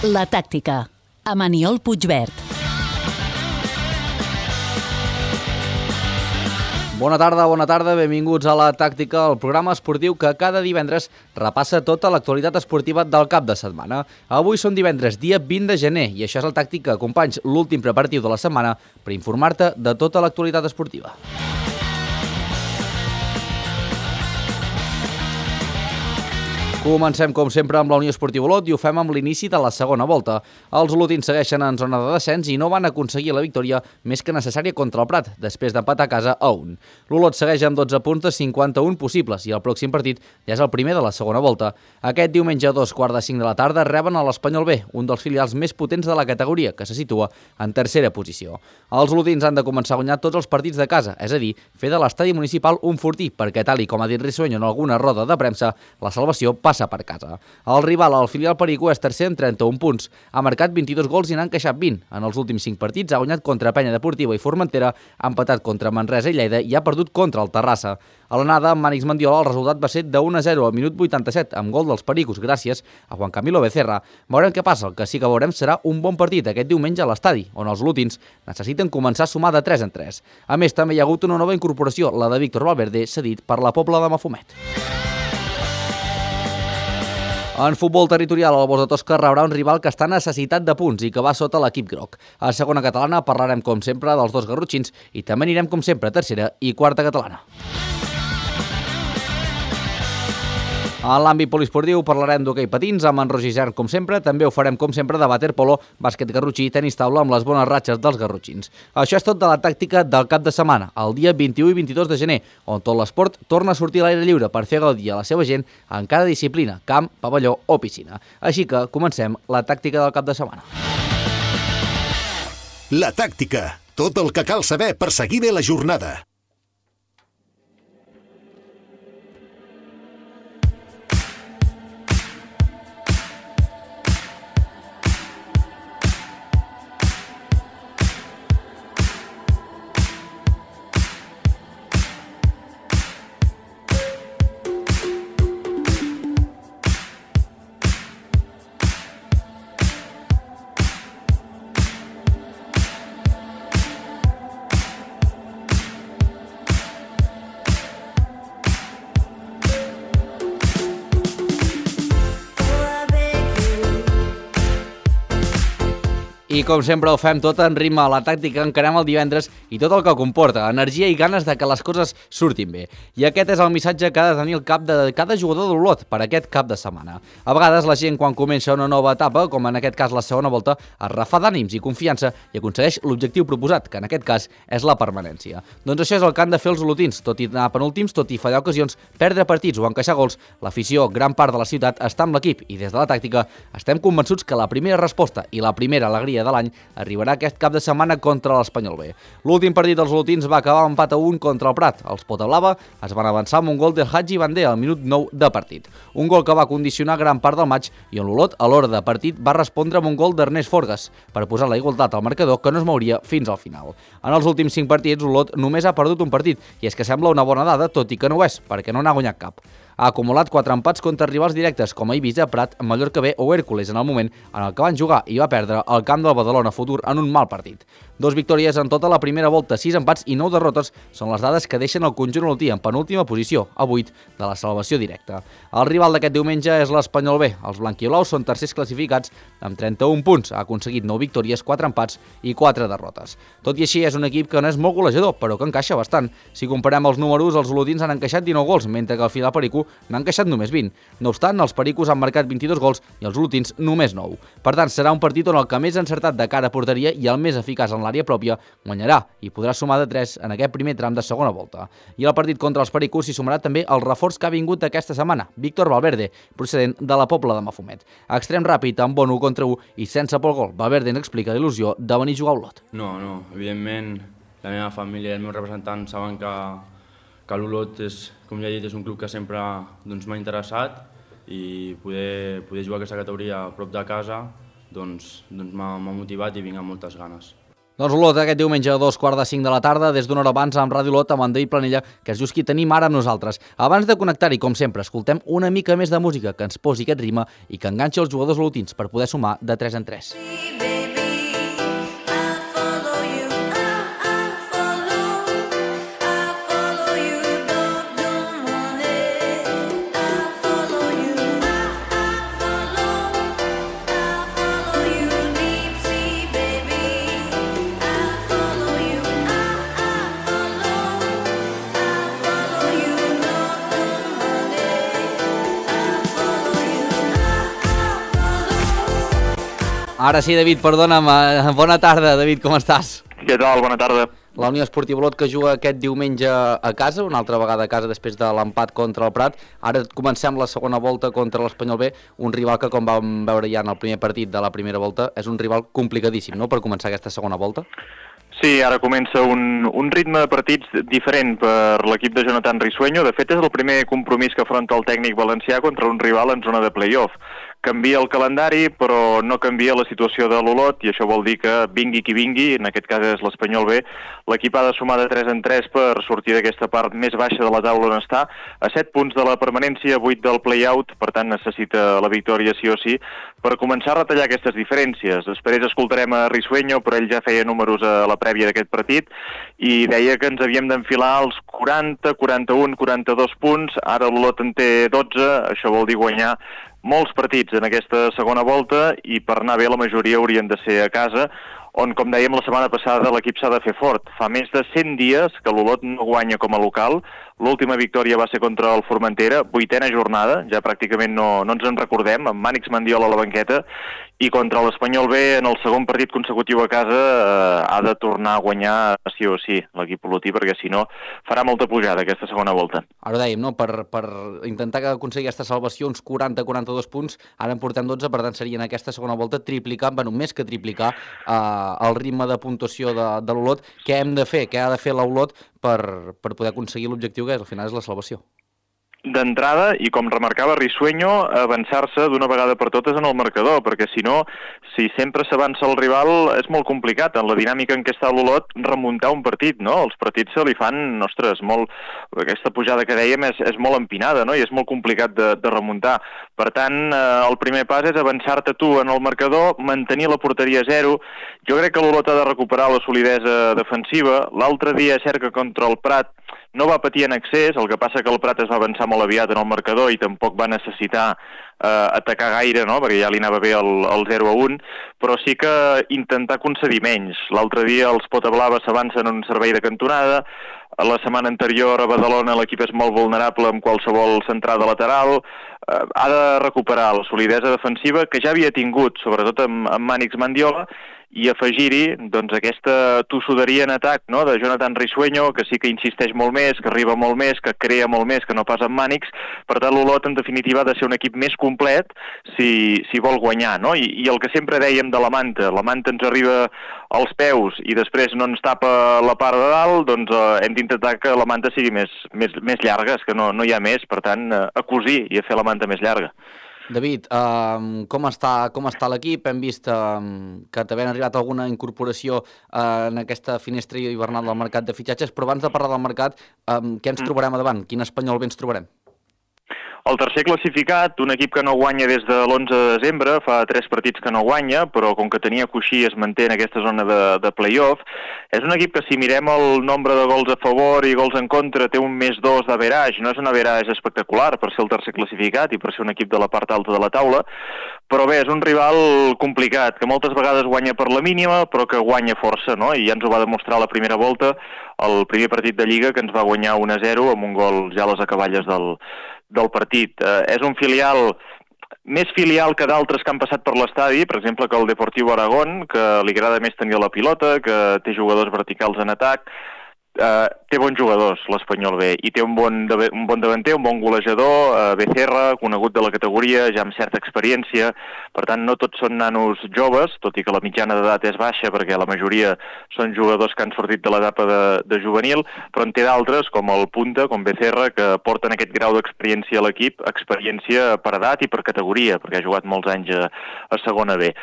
La tàctica, amb Aniol Puigvert. Bona tarda, benvinguts a La Tàctica, el programa esportiu que cada divendres repassa tota l'actualitat esportiva del cap de setmana. Avui són divendres, dia 20 de gener, i això és La Tàctica, companys, l'últim preparatiu de la setmana per informar-te de tota l'actualitat esportiva. Comencem, com sempre, amb la Unió Esportiva Olot i ho fem amb l'inici de la segona volta. Els olotins segueixen en zona de descens i no van aconseguir la victòria més que necessària contra el Prat, després d'empatar a casa a 1. L'Olot segueix amb 12 punts de 51 possibles i el pròxim partit ja és el primer de la segona volta. Aquest diumenge a 2:45 de la tarda reben a l'Espanyol B, un dels filials més potents de la categoria, que se situa en tercera posició. Els olotins han de començar a guanyar tots els partits de casa, és a dir, fer de l'estadi municipal un fortí, perquè tal i com ha dit Risueño en alguna roda de premsa, la salvació passa per casa. El rival, el filial pericú, és tercer amb 31 punts. Ha marcat 22 gols i n'ha encaixat 20. En els últims 5 partits ha guanyat contra Penya Deportiva i Formentera, ha empatat contra Manresa i Lleida i ha perdut contra el Terrassa. A l'anada, amb Mànix Mendiola, el resultat va ser de 1-0 al minut 87, amb gol dels pericos gràcies a Juan Camilo Becerra. Veurem què passa. El que sí que veurem serà un bon partit aquest diumenge a l'estadi, on els olotins necessiten començar a sumar de 3 en 3. A més, també hi ha hagut una nova incorporació, la de Víctor Valverde, cedit per la Pobla de Mafumet. En futbol territorial, el Bosch de Tosca rebrà un rival que està necessitat de punts i que va sota l'equip groc. A segona catalana parlarem, com sempre, dels dos garrotxins i també anirem, com sempre, a tercera i quarta catalana. En l'àmbit poliesportiu parlarem d'hoquei patins amb en Roger Isern, com sempre. També ho farem, com sempre, de waterpolo, bàsquet garrotxí i tenis taula amb les bones ratxes dels garrotxins. Això és tot de la tàctica del cap de setmana, el dia 21 i 22 de gener, on tot l'esport torna a sortir a l'aire lliure per fer gaudir a la seva gent en cada disciplina, camp, pavelló o piscina. Així que comencem la tàctica del cap de setmana. La tàctica, tot el que cal saber per seguir bé la jornada. I com sempre ho fem tot en ritme a la tàctica, encarem el divendres i tot el que comporta, energia i ganes de que les coses surtin bé. I aquest és el missatge que ha de tenir el cap de cada jugador de l'Olot per aquest cap de setmana. A vegades la gent, quan comença una nova etapa, com en aquest cas la segona volta, es refà d'ànims i confiança i aconsegueix l'objectiu proposat, que en aquest cas és la permanència. Doncs això és el que han de fer els olotins, tot i anar penúltims, tot i fallar ocasions, perdre partits o encaixar gols, l'afició, gran part de la ciutat, està amb l'equip i des de la tàctica estem convençuts que la primera resposta i la primera alegria de l'any arribarà aquest cap de setmana contra l'Espanyol B. L'últim partit dels olotins va acabar amb empat a 1 contra el Prat. Els Potablava es van avançar amb un gol del Hadji Bandé al minut 9 de partit. Un gol que va condicionar gran part del maig i on l'Olot, a l'hora de partit, va respondre amb un gol d'Ernest Forgas per posar la igualtat al marcador que no es mouria fins al final. En els últims 5 partits, l'Olot només ha perdut un partit i és que sembla una bona dada, tot i que no ho és, perquè no n'ha guanyat cap. Ha acumulat 4 empats contra rivals directes com a Eivissa, Prat, Mallorca B o Hèrcules en el moment en el que van jugar i va perdre el camp del Badalona Futur en un mal partit. 2 victòries en tota la primera volta, 6 empats i 9 derrotes són les dades que deixen el conjunt olotí en penúltima posició, a 8 de la salvació directa. El rival d'aquest diumenge és l'Espanyol B. Els blanquiolaus són tercers classificats amb 31 punts. Ha aconseguit 9 victòries, 4 empats i 4 derrotes. Tot i així, és un equip que no és molt golejador, però que encaixa bastant. Si comparem els números, els olotins han encaixat 19 gols, mentre que el filial pericú n'ha encaixat només 20. No obstant, els pericos han marcat 22 gols i els olotins només 9. Per tant, serà un partit on el que més ha encertat de cara a porteria i el més eficaç en l'àrea pròpia guanyarà i podrà sumar de 3 en aquest primer tram de segona volta. I al partit contra els pericos s'hi sumarà també el reforç que ha vingut aquesta setmana, Víctor Valverde, procedent de la Pobla de Mafumet. Extrem ràpid, amb bon 1 contra 1 i sense por gol. Valverde ens explica l'il·lusió de venir a jugar a Olot. No, evidentment la meva família i els meus representants saben que l'Olot és, com ja he dit, és un club que sempre m'ha interessat i poder jugar aquesta categoria a prop de casa m'ha motivat i vinc amb moltes ganes. Doncs Olot aquest diumenge a 2:45 de la tarda, des d'una hora abans amb Ràdio Olot, amb en David Planella, que és just qui tenim ara amb nosaltres. Abans de connectar-hi, com sempre, escoltem una mica més de música que ens posi aquest ritme i que enganxi els jugadors olotins per poder sumar de 3 en 3. Ara sí, David, perdona'm. Bona tarda, David, com estàs? Què tal? Bona tarda. La Unió Esportiva Olot, que juga aquest diumenge a casa, una altra vegada a casa després de l'empat contra el Prat. Ara comencem la segona volta contra l'Espanyol B, un rival que, com vam veure ja en el primer partit de la primera volta, és un rival complicadíssim, no?, per començar aquesta segona volta. Sí, ara comença un ritme de partits diferent per l'equip de Jonathan Risueño. De fet, és el primer compromís que afronta el tècnic valencià contra un rival en zona de play-off. Canvia el calendari, però no canvia la situació de l'Olot, i això vol dir que vingui qui vingui, en aquest cas és l'Espanyol B, l'equip ha de sumar de 3 en 3 per sortir d'aquesta part més baixa de la taula on està, a 7 punts de la permanència, 8 del play-out, per tant necessita la victòria sí o sí, per començar a retallar aquestes diferències. Després escoltarem a Risueño, però ell ja feia números a la prèvia d'aquest partit, i deia que ens havíem d'enfilar als 40, 41, 42 punts, ara l'Olot en té 12, això vol dir guanyar molts partits en aquesta segona volta, i per anar bé la majoria haurien de ser a casa, on, com dèiem la setmana passada, l'equip s'ha de fer fort. Fa més de 100 dies que l'Olot no guanya com a local. L'última victòria va ser contra el Formentera, 8a jornada, ja pràcticament no ens en recordem, amb Mànix Mandiola a la banqueta, i contra l'Espanyol B, en el segon partit consecutiu a casa, ha de tornar a guanyar sí o sí l'equip olotí, perquè si no farà molta pujada aquesta segona volta. Ara ho dèiem, no?, per intentar aconseguir aquesta salvació, uns 40-42 punts, ara en portem 12, per tant seria en aquesta segona volta triplicar, bueno, més que triplicar el ritme de puntuació de l'Olot. Què hem de fer? Què ha de fer l'Olot per poder aconseguir l'objectiu que al final és la salvació? D'entrada, i com remarcava Risueño, avançar-se d'una vegada per totes en el marcador, perquè si no, si sempre s'avança el rival, és molt complicat. En la dinàmica en què està l'Olot, remuntar un partit, no? Els partits se li fan, ostres, molt... Aquesta pujada que dèiem és molt empinada, no?, i és molt complicat de remuntar. Per tant, el primer pas és avançar-te tu en el marcador, mantenir la porteria a 0. Jo crec que l'Olot ha de recuperar la solidesa defensiva. L'altre dia, és cert que contra el Prat no va patir en excés, el que passa que el Prat es va avançar molt aviat en el marcador i tampoc va necessitar atacar gaire, no?, perquè ja li anava bé el 0-1, però sí que intentar concedir menys. L'altre dia els Potablava s'avancen en un servei de cantonada, la setmana anterior a Badalona l'equip és molt vulnerable amb qualsevol centrada lateral, ha de recuperar la solidesa defensiva que ja havia tingut, sobretot amb Mànix Mandiola, i afegir-hi doncs, aquesta tossuderia en atac, no?, de Jonathan Risueño, que sí que insisteix molt més, que arriba molt més, que crea molt més, que no pas amb Mànix. Per tant, l'Olot, en definitiva, ha de ser un equip més complet si vol guanyar, no? I el que sempre dèiem de la manta ens arriba als peus i després no ens tapa la part de dalt, doncs hem d'intentar que la manta sigui més llarga, és que no hi ha més, per tant, a cosir i a fer la manta més llarga. David, com està l'equip? Hem vist que també han arribat alguna incorporació en aquesta finestra hivernal del mercat de fitxatges, però abans de parlar del mercat, què ens trobarem a davant? Quin Espanyol B ens trobarem? El tercer classificat, un equip que no guanya des de l'11 de desembre, fa 3 partits que no guanya, però com que tenia coixí es manté en aquesta zona de play-off. És un equip que si mirem el nombre de gols a favor i gols en contra té un +2 d'average, no és un average espectacular per ser el tercer classificat i per ser un equip de la part alta de la taula, però bé, és un rival complicat, que moltes vegades guanya per la mínima, però que guanya força, no? I ja ens ho va demostrar la primera volta, el primer partit de Lliga, que ens va guanyar 1-0 amb un gol ja a les acaballes del partit. És un filial més filial que d'altres que han passat per l'estadi, per exemple que el Deportivo Aragón, que li agrada més tenir la pilota, que té jugadors verticals en atac, té bons jugadors, l'Espanyol B, i té un bon davanter, un bon golejador, Becerra, conegut de la categoria, ja amb certa experiència. Per tant, no tots són nanos joves, tot i que la mitjana d'edat és baixa, perquè la majoria són jugadors que han sortit de l'etapa de juvenil, però en té d'altres, com el Punta, com Becerra, que porten aquest grau d'experiència a l'equip, experiència per edat i per categoria, perquè ha jugat molts anys a segona B.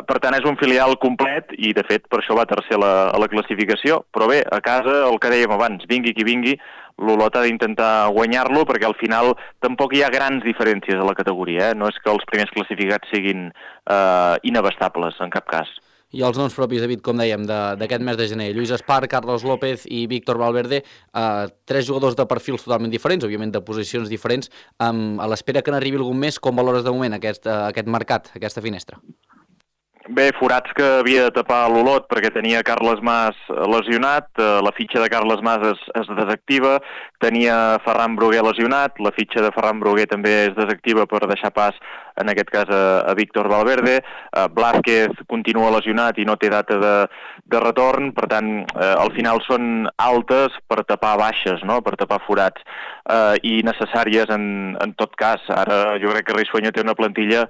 Per tant, és un filial complet i, de fet, per això va tercer a la classificació. Però bé, a casa, el que dèiem abans, vingui qui vingui, l'Olot ha d'intentar guanyar-lo, perquè al final tampoc hi ha grans diferències a la categoria. No és que els primers classificats siguin inabastables, en cap cas. I els noms propis, David, com dèiem, d'aquest mes de gener. Lluís Espar, Carlos López i Víctor Valverde, 3 jugadors de perfils totalment diferents, òbviament de posicions diferents. A l'espera que n'arribi algun més, com valores de moment aquest mercat, aquesta finestra? Bé, forats que havia de tapar l'Olot perquè tenia Carles Mas lesionat, la fitxa de Carles Mas es desactiva, tenia Ferran Bruguer lesionat, la fitxa de Ferran Bruguer també es desactiva per deixar pas, en aquest cas, a Víctor Valverde, Blázquez continua lesionat i no té data de retorn, per tant, al final són altes per tapar baixes, no? Per tapar forats, i necessàries en tot cas. Ara jo crec que Risueño té una plantilla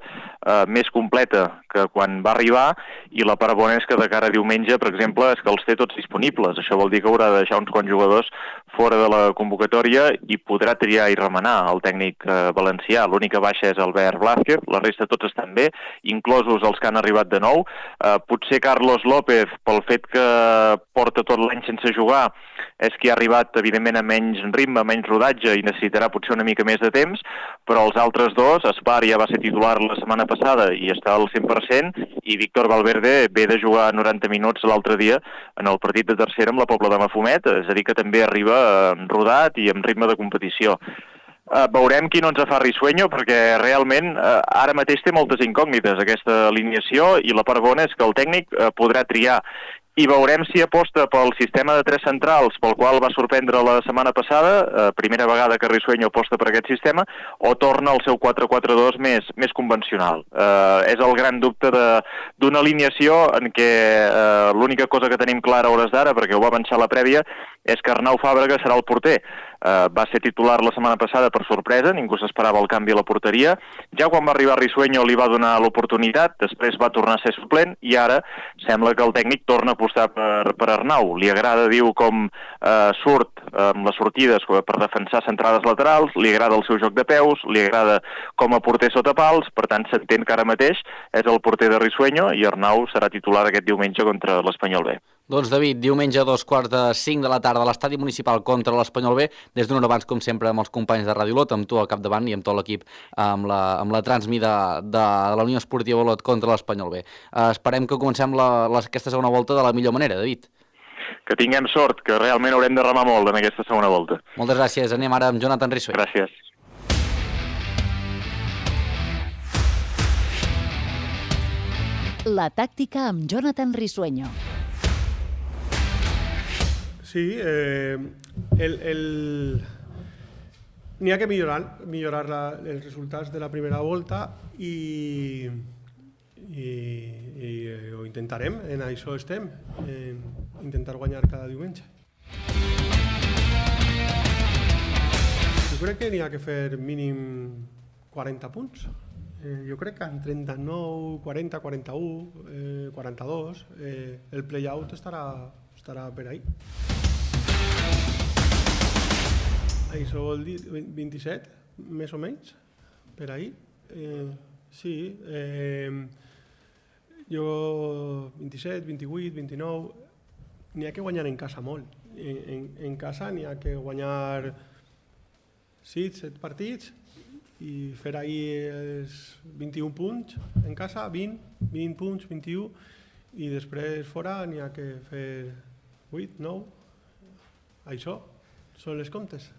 més completa que quan va arribar, i la part bona és que de cara a diumenge, per exemple, és que els té tots disponibles. Això vol dir que haurà de deixar uns quants jugadors fora de la convocatòria i podrà triar i remenar el tècnic valencià. L'única baixa és Albert Blázquez, la resta tots estan bé, inclosos els que han arribat de nou. Potser Carlos López, pel fet que porta tot l'any sense jugar, és que ha arribat, evidentment, a menys ritme, a menys rodatge, i necessitarà potser una mica més de temps, però els altres dos, Espar ja va ser titular la setmana passada i està al 100%, i Víctor Valverde ve de jugar 90 minuts l'altre dia en el partit de tercera amb la Pobla de Mafumet, és a dir, que també arriba rodat i amb ritme de competició. Veurem qui no ens fa Risueño, perquè realment ara mateix té moltes incògnites aquesta alineació, i la part bona és que el tècnic podrà triar. I veurem si aposta pel sistema de 3 centrals, pel qual va sorprendre la setmana passada, primera vegada que Risueño aposta per aquest sistema, o torna al seu 4-4-2 més convencional. És el gran dubte d'una alineació en què l'única cosa que tenim clara a hores d'ara, perquè ho va avançar la prèvia, és que Arnau Fàbrega serà el porter. Va ser titular la setmana passada per sorpresa, ningú s'esperava el canvi a la porteria. Ja quan va arribar Risueño li va donar l'oportunitat, després va tornar a ser suplent, i ara sembla que el tècnic torna a apostar per Arnau. Li agrada, diu, com surt amb les sortides per defensar centrades laterals, li agrada el seu joc de peus, li agrada com a porter sota pals, per tant s'entén que ara mateix és el porter de Risueño, i Arnau serà titular aquest diumenge contra l'Espanyol B. Doncs, David, diumenge a 2:45 de la tarda a l'estadi municipal contra l'Espanyol B, des d'una hora abans, com sempre, amb els companys de Ràdio Olot, amb tu al capdavant i amb tot l'equip, amb la transmida de la Unió Esportiva Olot contra l'Espanyol B. Esperem que comencem aquesta segona volta de la millor manera, David. Que tinguem sort, que realment haurem de remar molt en aquesta segona volta. Moltes gràcies. Anem ara amb Jonathan Risueño. Gràcies. La tàctica amb Jonathan Risueño. Sí, n'hi ha que millorar els resultats de la primera volta i ho intentarem, en això estem, intentar guanyar cada diumenge. Jo crec que n'hi ha que fer mínim 40 punts. Jo crec que en 39, 40, 41, 42, el play-out estarà per ahí. Això vol dir 27, més o menys, per ahí. Sí, jo 27, 28, 29, n'hi ha que guanyar en casa molt. En casa n'hi ha que guanyar 6, 7 partits i fer ahir els 21 punts en casa, 20 punts, 21, i després fora n'hi ha que fer 8, 9, això són les comptes.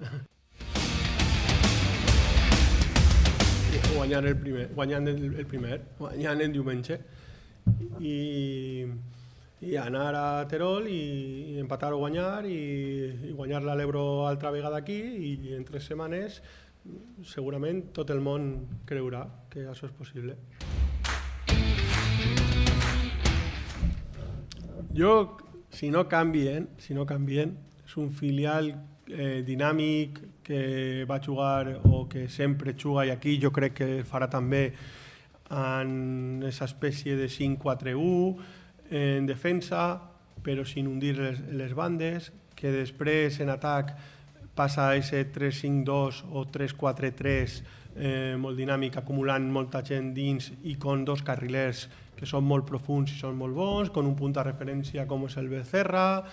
Guanyant el primer, guanyant el diumenge, i anar a Terol i empatar o guanyar, i guanyar l'Ebro altra vegada aquí, i en 3 setmanes segurament tot el món creurà que això és possible. Jo, si no canvien, és un filial dinàmic que va jugar o que sempre juga, i aquí jo crec que farà també en aquesta espècie de 5-4-1 en defensa, però sin hundir les bandes, que després en atac passa a ese 3-5-2 o 3-4-3 molt dinàmic, acumulant molta gent dins i con dos carrilers que són molt profuns i són molt bons, con un punt de referència com és el Becerra.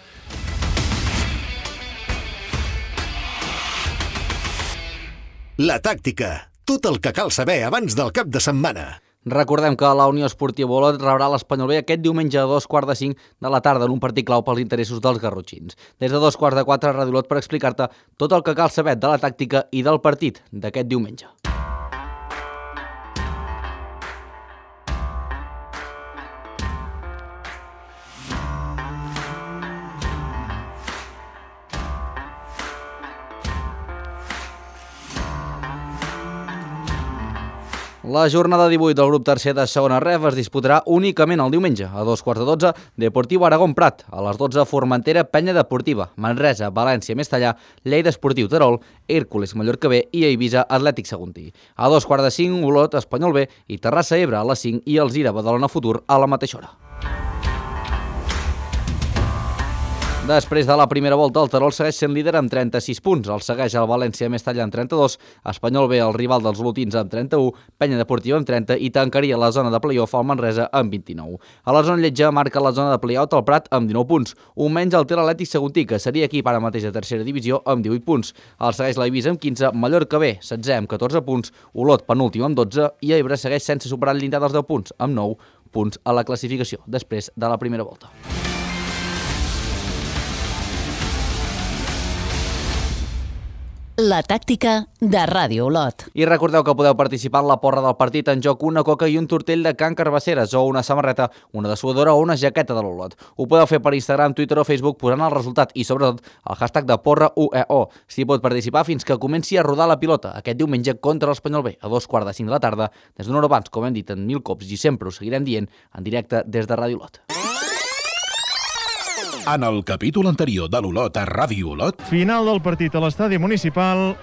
La tàctica. Tot el que cal saber abans del cap de setmana. Recordem que la Unió Esportiva Olot rebrà l'Espanyol B aquest diumenge a 2:45 de la tarda en un partit clau pels interessos dels garrotxins. Des de 3:45 a Ràdio Olot per explicar-te tot el que cal saber de la tàctica i del partit d'aquest diumenge. La jornada 18 del grup tercer de segona ref es disputarà únicament el diumenge. A 2:15 Deportiu Aragón Prat. A les 12 Formentera Penya Deportiva. Manresa, València, Mestallà, Lleida Esportiu Terol, Hèrcules Mallorca B i Eivissa Atlètic Saguntí. A 2:45 Olot Espanyol B i Terrassa Ebre a les 5 i Alzira Badalona Futur a la mateixa hora. Després de la primera volta, el Terol segueix sent líder amb 36 punts. El segueix el València Mestallà amb 32, Espanyol B, el rival dels olotins, amb 31, Penya Deportiva amb 30 i tancaria la zona de play-off al Manresa amb 29. A la zona lletja marca la zona de play-out el Prat amb 19 punts. Un menys el té l'Atlètic Saguntí, que seria equip ara mateix de tercera divisió amb 18 punts. El segueix l'Eivissa amb 15, Mallorca B, 16 amb 14 punts, Olot penúltim amb 12 i Ebre segueix sense superar el llindar dels 10 punts, amb 9 punts a la classificació, després de la primera volta. La tàctica de Ràdio Olot. I recordeu que podeu participar en la porra del partit en joc una coca i un tortell de Can Carbasseres o una samarreta, una dessuadora o una jaqueta de l'Olot. Ho podeu fer per Instagram, Twitter o Facebook posant el resultat i sobretot el hashtag de porra UEO. S'hi pot participar fins que comenci a rodar la pilota aquest diumenge contra l'Espanyol B a 2:45 de la tarda des d'una hora abans, com hem dit en 1000 cops i sempre ho seguirem dient en directe des de Ràdio Olot. En el capítol anterior de l'Olot a Ràdio Olot... Final del partit a l'estadi municipal.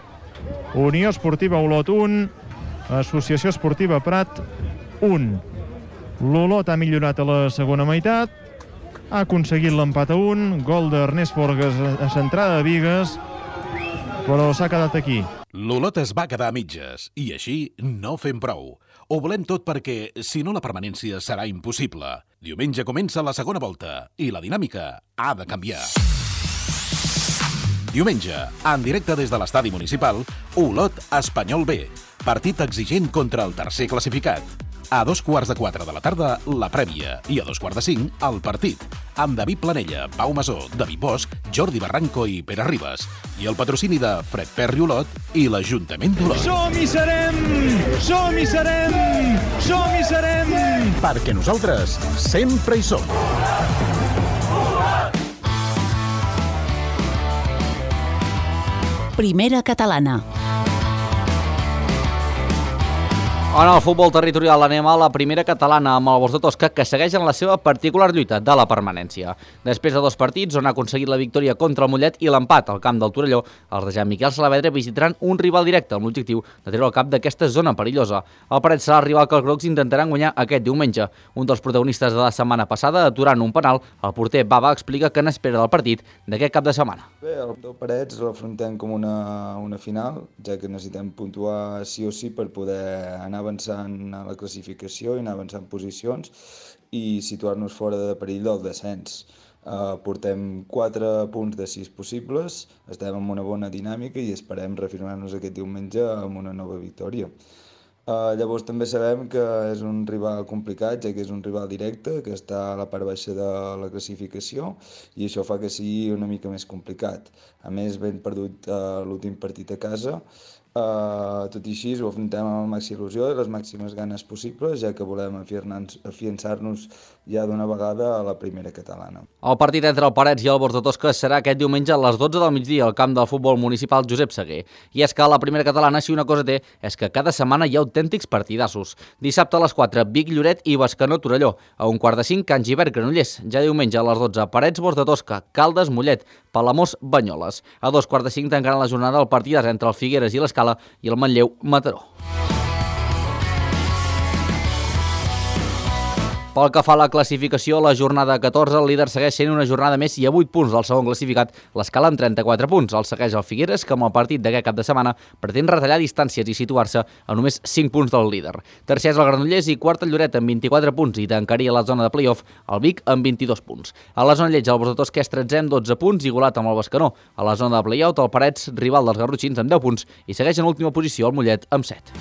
Unió Esportiva Olot 1, Associació Esportiva Prat 1. L'Olot ha millorat a la segona meitat, ha aconseguit l'empat a 1, gol d'Ernest Forgas a centrada de Bigues, però s'ha quedat aquí. L'Olot es va quedar a mitges i així no fem prou. Ho volem tot perquè, si no, la permanència serà impossible. Diumenge comença la segona volta i la dinàmica ha de canviar. Diumenge, en directe des de l'estadi municipal, Olot Espanyol B. Partit exigent contra el tercer classificat. A 3:15 de la tarda, la prèvia. I a 2:45, el partit. Amb David Planella, Pau Masó, David Bosch, Jordi Barranco i Pere Ribas. I el patrocini de Fred Perri Olot i l'Ajuntament d'Olot. Som-hi serem! Som-hi serem! Som-hi serem! Perquè nosaltres sempre hi som. Primera catalana. En el futbol territorial anem a la primera catalana amb el Bosc de Tosca, que segueix en la seva particular lluita de la permanència. Després de 2 partits on ha aconseguit la victòria contra el Mollet i l'empat al camp del Torelló, els de Jean Miquel Salavedra visitaran un rival directe amb l'objectiu de treure el cap d'aquesta zona perillosa. El Paret serà el rival que els grocs intentaran guanyar aquest diumenge. Un dels protagonistes de la setmana passada, aturant un penal, el porter Baba explica que n'espera del partit d'aquest cap de setmana. Bé, el Parets l'afrontem com una final, ja que necessitem puntuar sí o sí per poder anar avançant a la classificació i anar avançant posicions i situar-nos fora de perill del descens. Portem 4 punts de 6 possibles, estem en una bona dinàmica i esperem reafirmar-nos aquest diumenge amb una nova victòria. Llavors també sabem que és un rival complicat, ja que és un rival directe, que està a la part baixa de la classificació i això fa que sigui una mica més complicat. A més, ben perdut l'últim partit a casa. Tot i així, ho afrontem amb la màxima il·lusió i les màximes ganes possibles, ja que volem afiançar-nos ja d'una vegada a la primera catalana. El partit entre el Parets i el Bosc de Tosca serà aquest diumenge a les 12 del migdia al camp del futbol municipal Josep Seguer. I és que la primera catalana, si una cosa té, és que cada setmana hi ha autèntics partidassos. Dissabte a les 4, Vic Lloret i Bescanó Torelló. A 4:45, Can Gibert Granollers. Ja diumenge a les 12, Parets Bors de Tosca, Caldes Mollet, Palamós Banyoles. A 2:45 tancaran la jornada el partidàs entre el Figueres i l'Escala i el Manlleu Mataró. Pel que fa a la classificació, la jornada 14, el líder segueix sent una jornada més i a 8 punts del segon classificat, l'Escala amb 34 punts. El segueix el Figueres, que amb el partit d'aquest cap de setmana pretén retallar distàncies i situar-se a només 5 punts del líder. Tercer és el Granollers i quart el Lloret amb 24 punts i tancaria la zona de play-off el Vic amb 22 punts. A la zona lleig, el Bors de Tosca és 13 amb 12 punts, igualat amb el Bescanó. A la zona de play-out, el Parets, rival dels garrotxins, amb 10 punts i segueix en última posició el Mollet amb 7.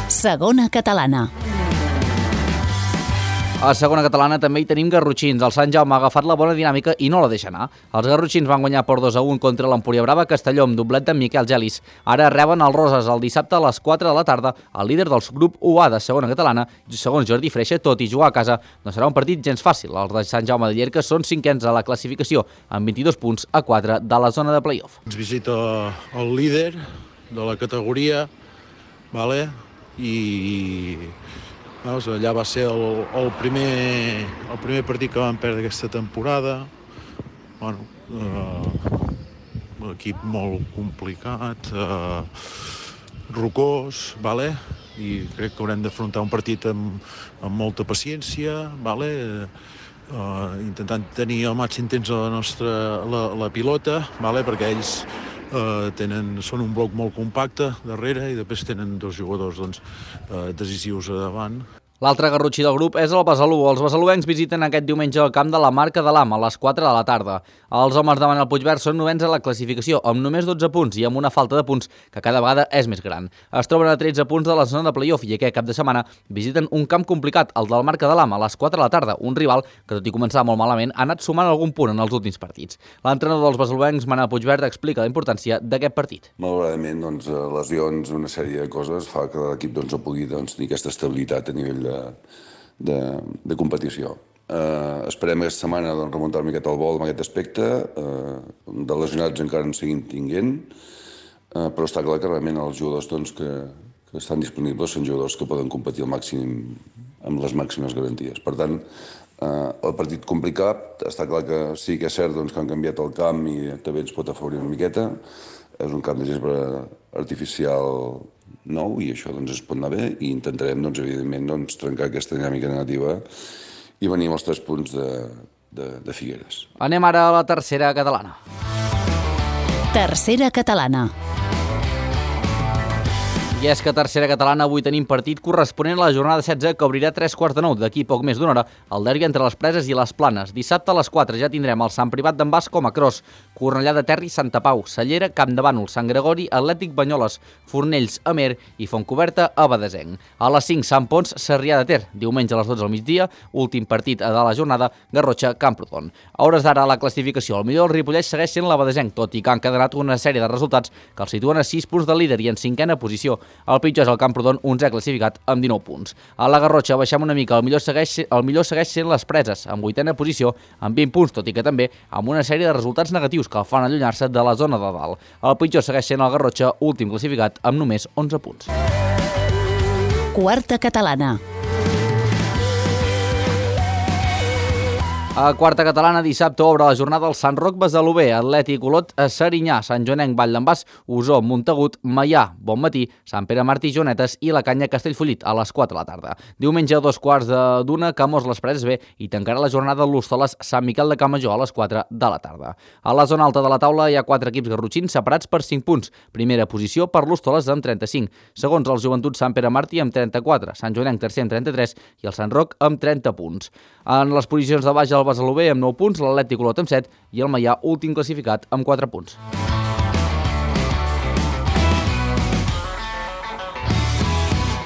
Segona catalana. A segona catalana també hi tenim garrotxins. El Sant Jaume ha agafat la bona dinàmica i no la deixa anar. Els garrotxins van guanyar per 2-1 contra l'Empúria Brava Castelló amb doblet d'en Miquel Gelis. Ara reben el Roses el dissabte a les 4 de la tarda. El líder del grup UA de segona catalana, segons Jordi Freixa, tot i jugar a casa, no serà un partit gens fàcil. Els de Sant Jaume de Llierca són 5ens a la classificació, amb 22 punts a 4 de la zona de play-off. Ens visita el líder de la categoria, vale? I allà va ser el primer partit que vam perdre aquesta temporada. Bueno, un equip molt complicat, rocós, vale? I crec que haurem d'afrontar un partit amb molta paciència, vale? Intentant tenir el màxim temps la pilota, vale? Perquè ells són un bloc molt compacte darrere i després tenen dos jugadors decisius a davant. L'altre garrotxí del grup és el Besalú. Els besaluencs visiten aquest diumenge el camp de la Marca de l'Am a les 4 de la tarda. Els homes de Manel Puigverd són 9ens a la classificació, amb només 12 punts i amb una falta de punts que cada vegada és més gran. Es troben a 13 punts de la zona de play-off i aquest cap de setmana visiten un camp complicat, el del Marca de l'Am, a les 4 de la tarda, un rival que, tot i començar molt malament, ha anat sumant algun punt en els últims partits. L'entrenador dels besaluencs, Manel Puigverd, explica la importància d'aquest partit. Malauradament, lesions, una sèrie de coses fa que l'equip no pugui tenir aquesta estabilitat a nivell de competició. Esperem aquesta setmana remuntar una miqueta el vol en aquest aspecte. De lesionats encara en seguim tinguent, però està clar que realment els jugadors que estan disponibles són jugadors que poden competir al màxim amb les màximes garanties. Per tant, el partit complicat, està clar que sí que és cert que han canviat el camp i també ens pot afavorir una miqueta. És un camp de gespa artificial nou i això es pot anar bé i intentarem, evidentment, trencar aquesta dinàmica negativa i venir amb els 3 punts de Figueres. Anem ara a la tercera catalana. Tercera catalana. I és que a tercera catalana avui tenim partit corresponent a la jornada 16 que obrirà 3:45 d'aquí poc més d'una hora el derbi entre les Preses i les Planes. Dissabte a les 4 ja tindrem el Sant Privat d'en Bas com a cross, Cornellà de Terri, Santa Pau, Cellera, Camp de Bànol, Sant Gregori, Atlètic Banyoles, Fornells, Amer i Fontcoberta a Badesenc. A les 5, Sant Pons, Sarrià de Ter. Diumenge a les 12 al migdia, últim partit de la jornada, Garrotxa, Camprodon. A hores d'ara a la classificació, el millor del Ripollès segueix sent la Badesenc, tot i que han quedat una sèrie de resultats que el situen a 6 punts del líder i en 5a posició. El pitjor és el Camprodon, 11è classificat amb 19 punts. A la Garrotxa baixem una mica, el millor segueix sent les Preses, amb 8a posició, amb 20 punts, tot i que també amb una sèrie de resultats negatius que el fan allunyar-se de la zona de dalt. El pitjor segueix sent el Garrotxa, últim classificat amb només 11 punts. Quarta catalana. A quarta catalana, dissabte obre la jornada el Sant Roc Besalú B, Atlètic Olot, Serinyà, Sant Joanenc, Vall d'en Bas, Osó, Montagut, Maià, Bonmatí, Sant Pere Martí, Jonetes i la Canya Castellfollit a les 4 de la tarda. Diumenge a 2:15, Camós les Preses B i tancarà la jornada l'Hostoles Sant Miquel de Campmajor a les 4 de la tarda. A la zona alta de la taula hi ha 4 equips garrotxins separats per 5 punts. Primera posició per l'Hostoles amb 35, segons el Joventut Sant Pere Martí amb 34, Sant Joanenc tercer amb 33 i el Sant Roc amb 30 punts. En les posicions de baix el Besalú B amb 9 punts, l'Atlètic Olot amb 7 i el Maià últim classificat amb 4 punts.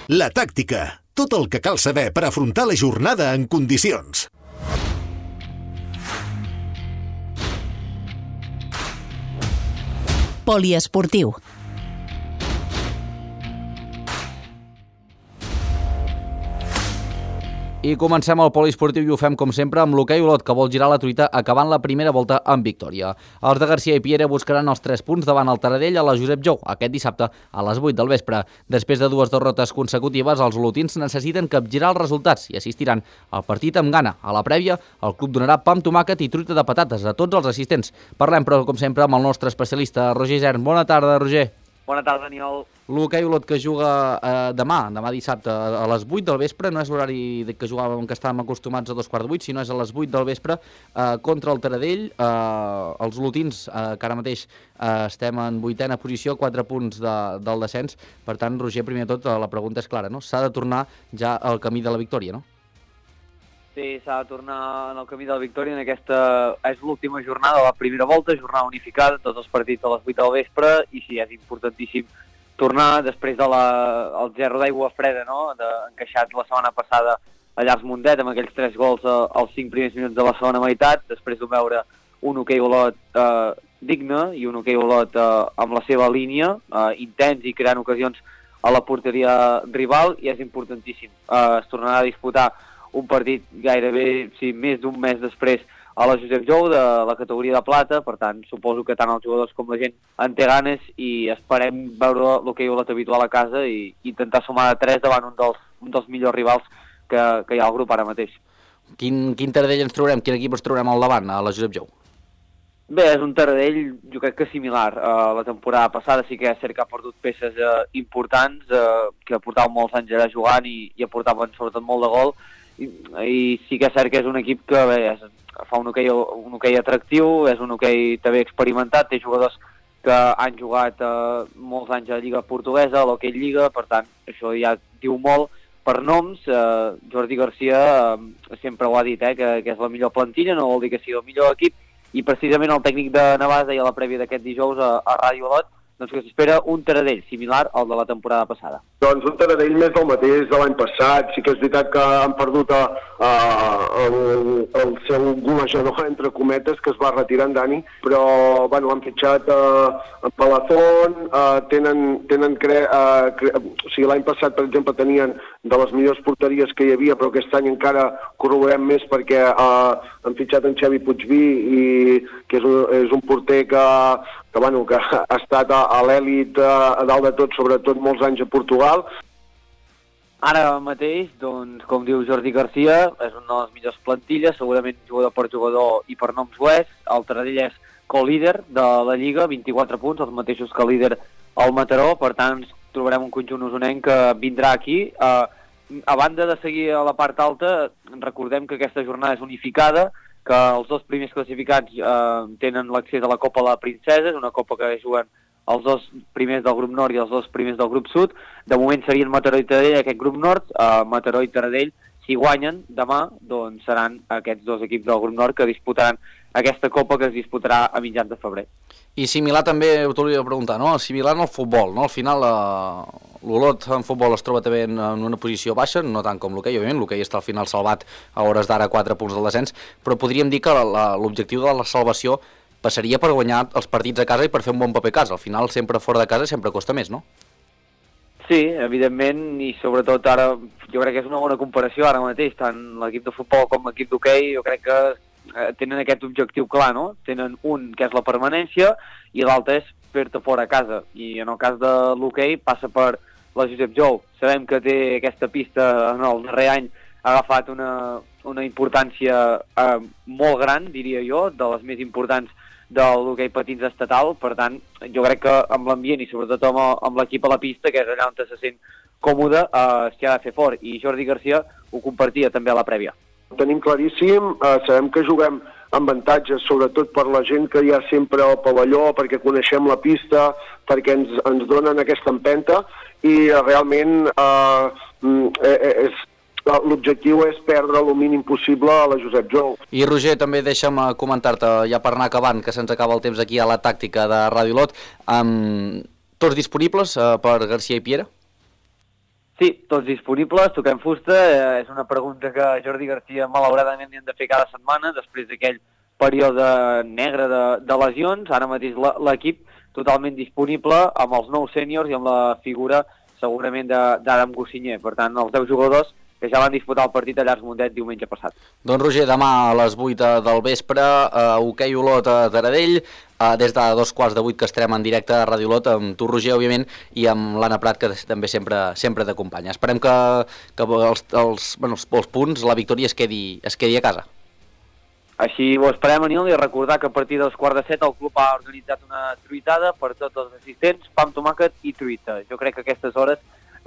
La tàctica, tot el que cal saber per afrontar la jornada en condicions. Poliesportiu. I comencem el poliesportiu i ho fem, com sempre, amb l'hoquei Olot, que vol girar la truita acabant la primera volta amb victòria. Els de Garcia i Piera buscaran els 3 punts davant el Taradell a la Josep Jou aquest dissabte a les 8 del vespre. Després de 2 derrotes consecutives, els olotins necessiten capgirar els resultats i assistiran al partit amb gana. A la prèvia, el club donarà pa amb tomàquet i truita de patates a tots els assistents. Parlem, però, com sempre, amb el nostre especialista, Roger Isern. Bona tarda, Roger. Bona tarda, Daniel. L'hoquei Olot que juga demà dissabte a les 8 del vespre, no és l'horari que jugàvem, que estàvem acostumats a 2:15, sinó és a les 8 del vespre contra el Taradell. Els olotins, que ara mateix estem en 8ª posició, 4 punts del descens. Per tant, Roger, primer de tot, la pregunta és clara, no? S'ha de tornar ja al camí de la victòria, no? Sí, s'ha de tornar en el camí de la victòria. En aquesta és l'última jornada de la primera volta, jornada unificada, tots els partits a les 8 del vespre, i sí, és importantíssim tornar després del gerro d'aigua freda, no?, encaixat la setmana passada a Llars Mundet, amb aquells 3 gols als 5 primers minuts de la segona meitat, després de veure un hoquei Olot digne i un hoquei Olot amb la seva línia, intens i creant ocasions a la porteria rival, i és importantíssim. Es tornarà a disputar un partit gairebé, sí, més d'un mes després a la Josep Jou de la categoria de plata. Per tant, suposo que tant els jugadors com la gent en té ganes i esperem veure l'hoquei Olot habitual a casa i intentar sumar de 3 davant un dels millors rivals que hi ha al grup ara mateix. Quin Taradell ens trobarem? Quin equip ens trobarem al davant, a la Josep Jou? Bé, és un Taradell, jo crec que similar. La temporada passada sí que és cert que ha perdut peces importants, que portaven molts anys allà jugant i aportaven sobretot molt de gol, i sí que és cert que és un equip que bé, fa un hoquei atractiu, és un hoquei també experimentat, té jugadors que han jugat molts anys a la Lliga Portuguesa, a l'hoquei Lliga, per tant, això ja diu molt. Per noms, Jordi Garcia sempre ho ha dit, que és la millor plantilla, no vol dir que sigui el millor equip, i precisament el tècnic de Navàs deia a la prèvia d'aquest dijous a Ràdio Olot doncs que s'espera un Taradell similar al de la temporada passada. Doncs un Taradell més del mateix de l'any passat. Sí que és veritat que han perdut el seu golejador, entre cometes, que es va retirar en Dani, però bueno, han fitxat en Palazón, o sigui, l'any passat, per exemple, tenien de les millors porteries que hi havia, però aquest any encara corroborem més perquè han fitxat en Xavi Puigví, que és un porter que ha estat a l'èlit a dalt de tot, sobretot molts anys a Portugal. Ara mateix, doncs, com diu Jordi Garcia, és una de les millors plantilles, segurament jugador per jugador i per noms ho és. El Taradell és co-líder de la Lliga, 24 punts, els mateixos que el líder el Mataró, per tant trobarem un conjunt usonenc que vindrà aquí. A banda de seguir a la part alta, recordem que aquesta jornada és unificada, que els 2 primers classificats tenen l'accés a la Copa de la Princesa, és una copa que juguen els 2 primers del grup nord i els 2 primers del grup sud. De moment serien Mataró i Taradell aquest grup nord. Mataró i Taradell, si guanyen demà, doncs seran aquests 2 equips del grup nord que disputaran aquesta copa, que es disputarà a mitjans de febrer. I similar també, t'ho volia preguntar, no? Similar al futbol, no? Al final l'Olot en futbol es troba també en una posició baixa, no tant com l'hoquei, òbviament, l'hoquei està al final salvat a hores d'ara 4 punts del descens, però podríem dir que l'objectiu de la salvació passaria per guanyar els partits a casa i per fer un bon paper a casa. Al final, sempre fora de casa sempre costa més, no? Sí, evidentment, i sobretot ara jo crec que és una bona comparació ara mateix, tant l'equip de futbol com l'equip d'hoquei, jo crec que tenen aquest objectiu clar, no? Tenen un que és la permanència i l'altre és fer-te fora a casa, i en el cas de l'hoquei passa per la Josep Jou. Sabem que té aquesta pista en el darrer any, ha agafat una importància molt gran, diria jo, de les més importants de l'hoquei patins estatal. Per tant, jo crec que amb l'ambient i sobretot amb l'equip a la pista, que és allà on se sent còmode, s'hi ha de fer fort, i Jordi Garcia ho compartia també a la prèvia. Ho tenim claríssim, sabem que juguem amb avantatges, sobretot per la gent que hi ha sempre al pavelló, perquè coneixem la pista, perquè ens donen aquesta empenta, i realment l'objectiu és perdre el mínim possible a la Josep Jou. I Roger, també deixa'm comentar-te, ja per anar acabant, que se'ns acaba el temps aquí a la tàctica de Ràdio Olot, tots disponibles per Garcia i Piera? Sí, tots disponibles, toquem fusta. És una pregunta que Jordi Garcia malauradament li han de fer cada setmana després d'aquell període negre de lesions. Ara mateix l'equip totalment disponible amb els nous sèniors i amb la figura segurament d'Adam Gossinyer. Per tant, els 10 jugadors que ja van disputar el partit a Llars Mundet diumenge passat. Doncs Roger, demà a les 8 del vespre, hoquei Olot a Taradell, des de 7:15 que estarem en directe a Ràdio Olot, amb tu, Roger, òbviament, i amb l'Anna Prat, que també sempre t'acompanya. Esperem que els punts, la victòria es quedi a casa. Així ho esperem, Aniol, i recordar que a partir dels 6:45 el club ha organitzat una truitada per tots els assistents, pa amb tomàquet i truita. Jo crec que a aquestes hores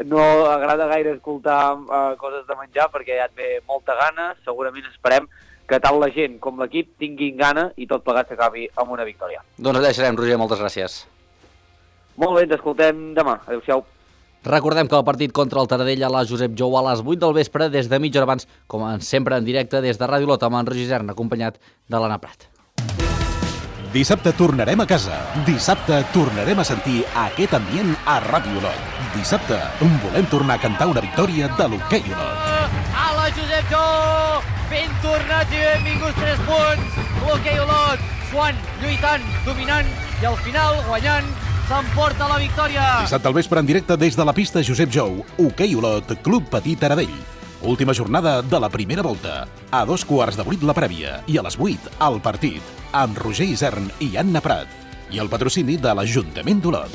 no agrada gaire escoltar coses de menjar perquè ja et ve molta gana. Segurament esperem que tant la gent com l'equip tinguin gana i tot plegat s'acabi amb una victòria. Doncs allà serem, Roger, moltes gràcies. Molt bé, ens escoltem demà. Adéu-siau. Recordem que el partit contra el Taradell a la Josep Jou a les 8 del vespre, des de mitja hora abans, com sempre en directe des de Ràdio Olot, amb en Roger Isern, acompanyat de l'Anna Prat. Dissabte tornarem a casa. Dissabte tornarem a sentir aquest ambient a Ràdio Olot. Dissabte volem tornar a cantar una victòria de l'hoquei Olot. A la Josep Jou, ben tornats i benvinguts 3 punts. L'hoquei Olot, suant, lluitant, dominant i al final guanyant. S'emporta la victòria. Dissabte al vespre en directe des de la pista Josep Jou, hoquei Olot, Club Petit Taradell. Última jornada de la primera volta. A 7:15 la prèvia i a les 8 el partit, amb Roger Isern i Anna Prat. I el patrocini de l'Ajuntament d'Olot.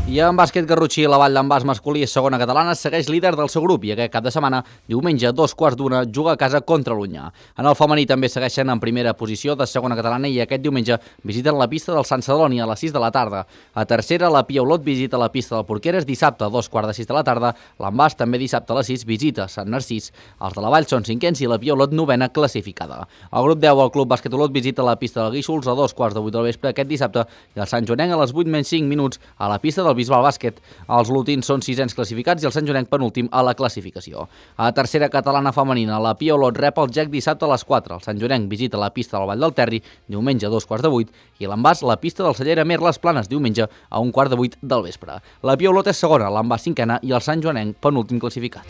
I en bàsquet garrotxí, la Vall d'en Bas masculí és segona catalana, segueix líder del seu grup i aquest cap de setmana, diumenge, 2:15, juga a casa contra l'Unyà. En el femení també segueixen en primera posició de segona catalana i aquest diumenge visiten la pista del Sant Celoni a les 6 de la tarda. A tercera, la Pia Olot visita la pista del Porqueres dissabte a 2:45 de la tarda. L'Envàs també dissabte a les 6 visita Sant Narcís. Els de la Vall són cinquens i la Pia Olot novena classificada. El grup 10, el Club Bàsquet Olot, visita la pista del Guíxols a 2:15 del vespre aquest dissabte i el Sant Joanenc a les 8:05 a la pista del Bisbal Bàsquet. Els olotins són sisens classificats i el Sant Joanenc penúltim a la classificació. A tercera catalana femenina, la Pia Olot rep el GEC dissabte a les 4. El Sant Joanenc visita la pista del Vall del Terri diumenge a 2:15 i l'Envàs la pista del Cellera Mer Les Planes diumenge a 1:15 del vespre. La Pia Olot és segona, l'Envàs cinquena i el Sant Joanenc penúltim classificat.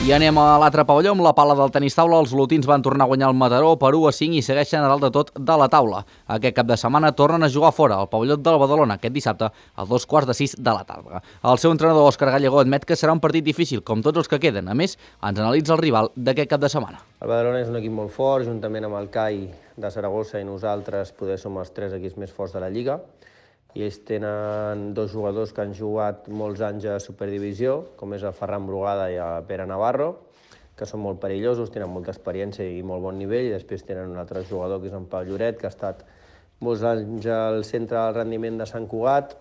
I anem a l'altre pavelló, amb la pala del tenis taula. Els olotins van tornar a guanyar el Mataró per 1-5 i segueixen a dalt de tot de la taula. Aquest cap de setmana tornen a jugar fora, al pavelló del Badalona, aquest dissabte a 2:15 de la tarda. El seu entrenador, Òscar Gallego, admet que serà un partit difícil, com tots els que queden. A més, ens analitza el rival d'aquest cap de setmana. El Badalona és un equip molt fort, juntament amb el CAI de Saragossa i nosaltres poder som els 3 equips més forts de la Lliga. I ells tenen 2 jugadors que han jugat molts anys a Superdivisió, com és el Ferran Brugada i el Pere Navarro, que són molt perillosos, tenen molta experiència i molt bon nivell, i després tenen un altre jugador que és en Pau Lloret, que ha estat molts anys al centre del rendiment de Sant Cugat,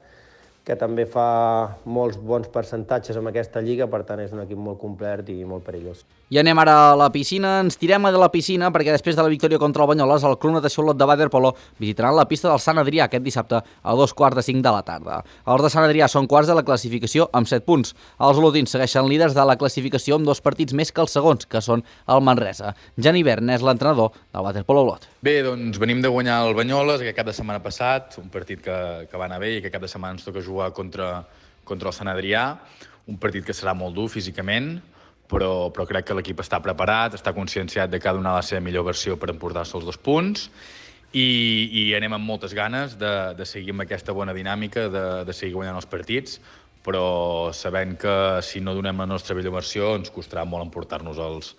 que també fa molts bons percentatges en aquesta lliga, per tant és un equip molt complet i molt perillós. I anem ara a la piscina, ens tirem a la piscina perquè després de la victòria contra el Banyoles, el Club Natació Olot de waterpolo visitaran la pista del Sant Adrià aquest dissabte a 2:15 de la tarda. Els de Sant Adrià són quarts de la classificació amb 7 punts. Els olotins segueixen líders de la classificació amb 2 partits més que els segons, que són el Manresa. Jan Ivern és l'entrenador del waterpolo Olot. Bé, doncs venim de guanyar el Banyoles aquest cap de setmana passat, un partit que va anar bé i aquest cap de setmana ens toca jugar contra el Sant Adrià, un partit que serà molt dur físicament, però crec que l'equip està preparat, està conscienciat de que ha de donar la seva millor versió per emportar-se els 2 punts i anem amb moltes ganes de seguir amb aquesta bona dinàmica, de seguir guanyant els partits, però sabent que si no donem la nostra millor versió ens costarà molt emportar-nos els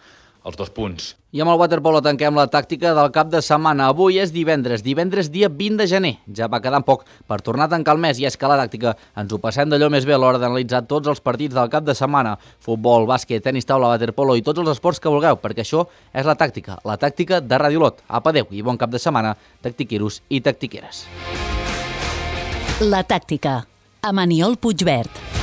2 punts. I amb el waterpolo tanquem la tàctica del cap de setmana. Avui és divendres dia 20 de gener. Ja va quedant poc per tornar a tancar el mes i és que la tàctica ens ho passem d'allò més bé a l'hora d'analitzar tots els partits del cap de setmana. Futbol, bàsquet, tenis taula, waterpolo i tots els esports que vulgueu, perquè això és la tàctica de Ràdio Olot. Apa, adeu i bon cap de setmana, tactiqueros i tactiqueres. La tàctica, amb Aniol Puigvert.